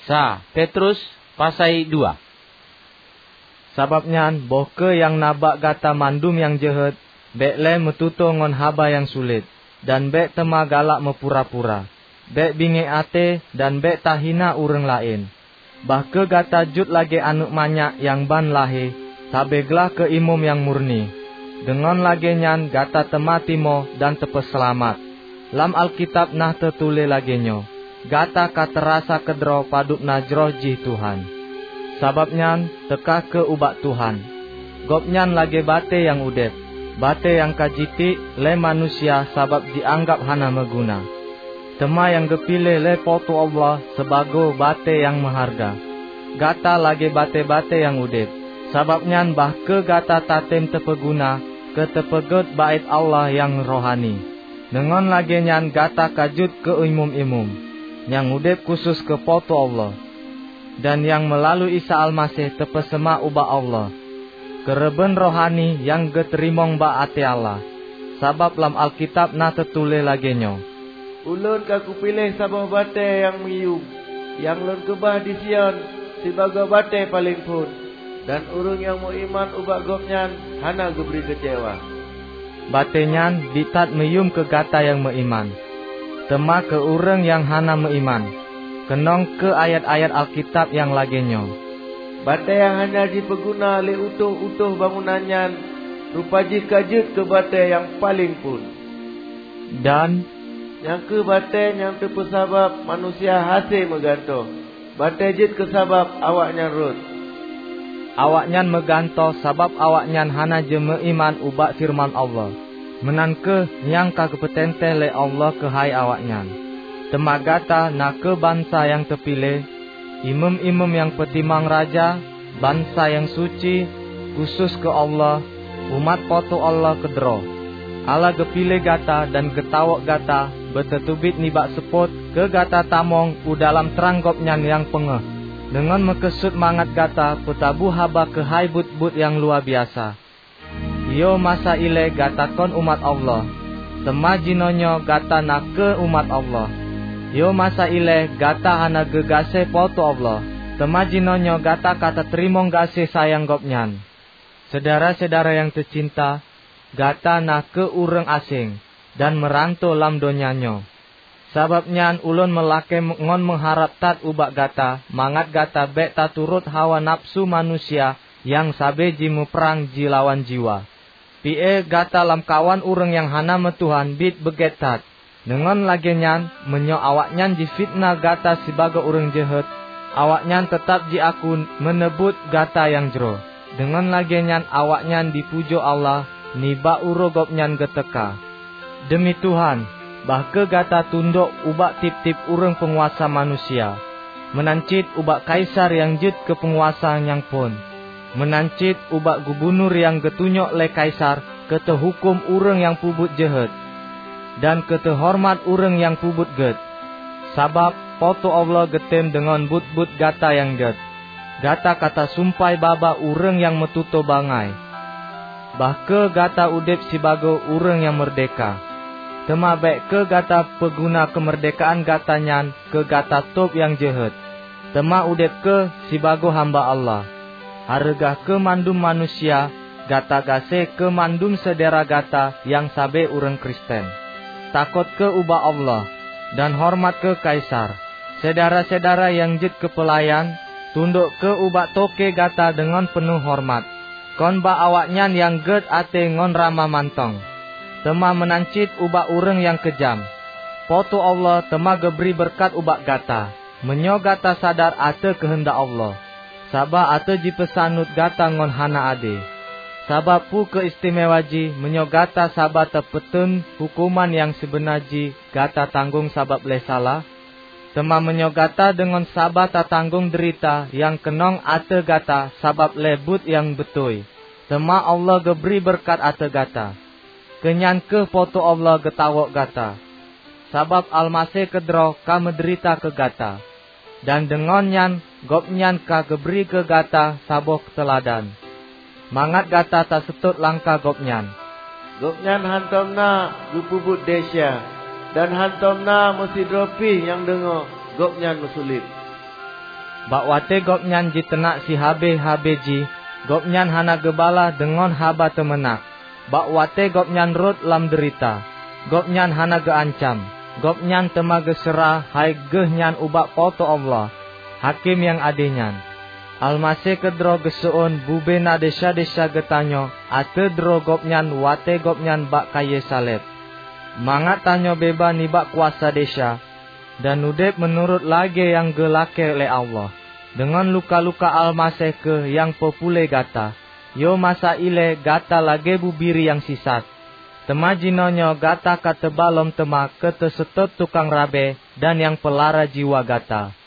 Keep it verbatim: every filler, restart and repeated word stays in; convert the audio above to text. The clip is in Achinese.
Sa Petrus pasai dua. Sabab nyan, boh kheueh nyang na bak gata mandum nyang jeuhet, bék lé meututoe ngon haba nyang sulet, dan bék teuma galak meupura-pura. Bék bingék até dan bék tahina ureuëng laén. Bah kheueh gata jeuet lagée aneuëk manyak nyang ban lahé, sabe glah keu imeum nyang murni. Deungon lagée nyan gata teuma timoh dan teupeuseulamat. Lam Alkitab na teutuléh lagée nyoe, "Gata ka teurasa keudroe padub na jroh jih Tuhan." Sabab nyan, teuka kheueh ubak Tuhan. Gobnyan lagée batée nyang udeb, batée nyang ka jitiek lé manusia sabab jianggab hana meuguna. Teuma nyang geupiléh lé Po teu Allah sibagoe batée nyang meuhareuga. Gata lagée batée-batée nyang udeb, sabab nyan bah kheueh gata tatem teupeuguna keu teupeugét Baét Allah nyang rohani. Deungon lagée nyan gata ka jeuet keu imeum-imeum nyang udeb khusos keu Po teu Allah, dan nyang meulalu Isa Almaseh teupeuseumah ubak Allah keureubeuen rohani nyang geuteurimong bak até Allah. Sabab lam Alkitab na teutuléh lagée nyoe, "Ulôn ka kupiléh saboh batée nyang meuyuem, nyang Lôn keubah di Sion sibagoe batée paleng phon, dan ureuëng nyang meuiman ubak Gobnyan hana geubri keucewa." Batée nyan biet that meuyuem keu gata nyang meuiman. Teuma keu ureuëng nyang hana meuiman, keunong kheueh ayat-ayat Alkitab nyang lagée nyoe, "Batée nyang hana jipeuguna lé utôh-utôh bangunan nyan, rupa jih ka jeuet keu batée nyang paleng phon." Dan, "Nyan kheueh batée nyang teupeusabab manusia hase meugantoe, batée jeuet keu sabab awaknyan rhot." Awaknyan meugantoe sabab awaknyan hana jimeuiman ubak feureuman Allah, meunan kheueh nyang ka geupeuteuntée lé Allah keuhai awaknyan. Teuma gata na kheueh bansa nyang teupiléh, imeum-imeum nyang peutimang raja, bansa nyang suci, khusos keu Allah, umat Po teu Allah keudroe. Allah geupiléh gata dan geutawök gata beutateubiet nibak seupôt keu gata tamong u dalam trang Gobnyan nyang peungéh, deungon meukeusut mangat gata peutabu haba keuhai buet-buet nyang luwabiasa. Yoh masa ilée gata kon umat Allah, teuma jinoenyoe gata na kheueh umat Allah. Yoh masa ilée gata hana geugaséh Po teu Allah, teuma jinoenyoe gata ka tateurimong gaséh sayang Gobnyan. Syedara-syedara nyang teucinta, gata na kheueh ureuëng aséng dan meuranto lam donya nyoe. Sabab nyan ulôn meulakée ngon meuharab that ubak gata mangat gata bék taturot hawa nafeusu manusia nyang sabe jimuprang jilawan jiwa. Pi-e gata lamkawan ureuëng nyang hana meutuhan biet beugét that. Deungon lagée nyan, meunyoe awaknyan jifiteunah gata sibagoe ureuëng jeuhet, awaknyan teutab jiaku meuneubuet gata nyang jroh. Deungon lagée nyan awaknyan jipujoe Allah nibak uroe Gobnyan geuteuka. Deumi Tuhan, bah kheueh gata tundok ubak tieb-tieb ureuëng peunguasa manusia, meunan cit ubak kaisar nyang jeuet keu peunguasa nyang phon, meunan cit ubak gubunur nyang geutunyok lé kaisar keu teuhuköm ureuëng nyang peubuet jeuhet, dan keu teuhoreumat ureuëng nyang peubuet gét. Sabab Po teu Allah geutem deungon buet-buet gata nyang gét. Gata ka tasumpai babah ureuëng nyang meututoe bangai. Bah kheueh gata udeb sibagoe ureuëng nyang meurdehka. Teuma bék kheueh gata peuguna keumeurdehkaan gata nyan keu gata tôb nyang jeuhet, teuma udeb kheueh sibagoe hamba Allah. Hareuga kheueh mandum manusia, gata gaséh kheueh mandum syedara gata nyang sabe ureuëng Kristen. Takot kheueh ubak Allah, dan horeumat kheueh kaisar. Syedara-syedara nyang jeuet keu peulayan, tundok kheueh ubak toke gata deungon peunoh horeumat, kon bak awaknyan nyang gét até ngon ramah mantong, teuma meunan cit ubak ureuëng nyang keujam. Po teu Allah teuma geubri beureukat ubak gata, meunyoe gata sadar ateueh keuheundak Allah, saba ateueh jipeusaneut gata ngon hana ade. Sabab peue keu istimewa jih meunyoe gata saba tapeuteun huköman nyang sibeuna jih gata tanggong sabab lé salah? Teuma meunyoe gata deungon saba tatanggong deurita nyang keunong ateueh gata sabab lé buet nyang beutôi, teuma Allah geubri beureukat ateueh gata. Keu nyan kheueh Po teu Allah geutawök gata, sabab Almaseh keudroe ka meudeurita keu gata, dan deungon nyan Gobnyan ka geubri keu gata saboh teuladan, mangat gata taseutôt langkah Gobnyan. Gobnyan hántom na geupeubuet desya, dan hántom na meusidroe pih nyang deungoe Gobnyan meusulet. Bak watée gobnyan jiteunak sihabéh-habéh jih, gobnyan hana geubalah deungon haba teumeunak. Bak watée gobnyan rhot lam deurita, gobnyan hana geuancam. Gobnyan teuma geuseurah hai geuh nyan ubak Po teu Allah, Hakém nyang ade nyan. Almaseh keudroe geuseuôn bubena desya-desya geutanyoe ateueh droe gobnyan watée gobnyan bak kayée saleb, mangat tanyoe beubaih nibak kuasa desya, dan udeb meunurot lagée nyang geulakée lé Allah. Deungon luka-luka Almaseh kheueh nyang peupuléh gata. Yoh masa ilée gata lagée bubiri nyang sisat, teuma jinoenyoe gata ka teuba lom teuma keu teuseutôt tukang rabe dan nyang peulara jiwa gata.